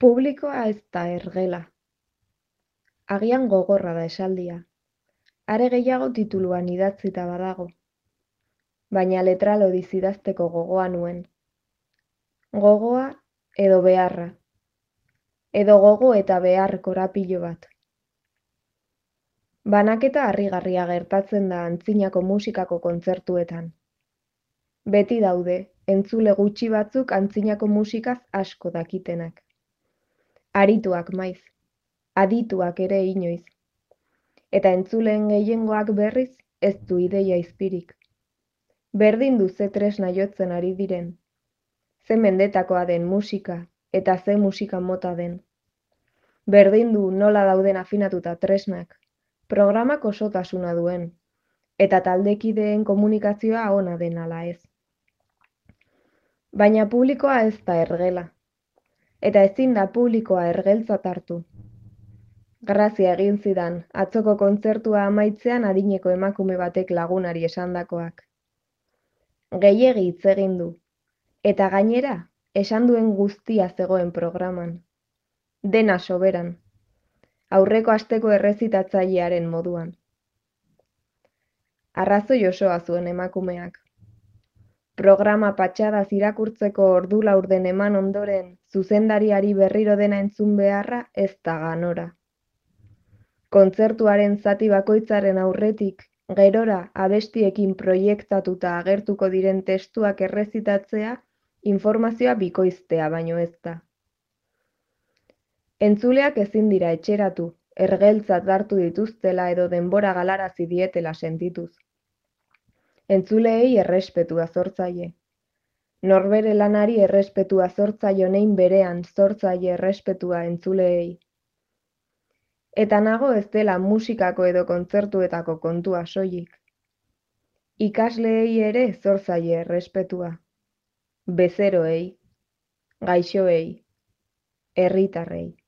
Publikoa ez da ergela. Agian gogorra da esaldia. Are gehiago tituluan idatzita badago. Baina letra lodiz idazteko gogoa nuen. Gogoa edo beharra. Edo gogo eta behar korapilo bat. Banaketa harrigarria gertatzen da antzinako musikako kontzertuetan. Beti daude, entzule gutxi batzuk antzinako musikaz asko dakitenak. Arituak maiz, adituak ere inoiz. Eta entzuleen gehiengoak berriz ez du ideia izpirik. Berdin du ze tresna jotzen ari diren. Ze mendetakoa den musika eta ze musika mota den. Berdin du nola dauden afinatuta tresnak, programak osotasuna duen, eta taldekideen komunikazioa ona den ala ez. Baina publikoa ez da ergela, eta ezin da publikoa ergeltzat hartu. Grazia egin zidan, atzoko kontzertua amaitzean adineko emakume batek lagunari esandakoak. Gehiegi hitz egin du, eta gainera, esan duen guztia zegoen programan. Dena soberan, aurreko asteko errezitatzailearen moduan. Arrazoi osoa zuen emakumeak. Programa patxadaz irakurtzeko ordu laurden eman ondoren, zuzendariari berriro dena entzun beharra ez da ganora. Kontzertuaren zati bakoitzaren aurretik, gerora abestiekin proiektatuta agertuko diren testuak errezitatzea, informazioa bikoiztea baino ez da. Entzuleak ezin dira etxeratu, ergeltzat hartu dituztela edo denbora galarazi dietela sentituz. Entzuleei errespetua zor zaie. Norbere lanari errespetua zor zaio nein berean zor zaie errespetua entzuleei. Eta nago ez dela musikako edo kontzertuetako kontua soilik. Ikasleei ere zor zaie errespetua. Bezeroei, gaixoei, herritarrei.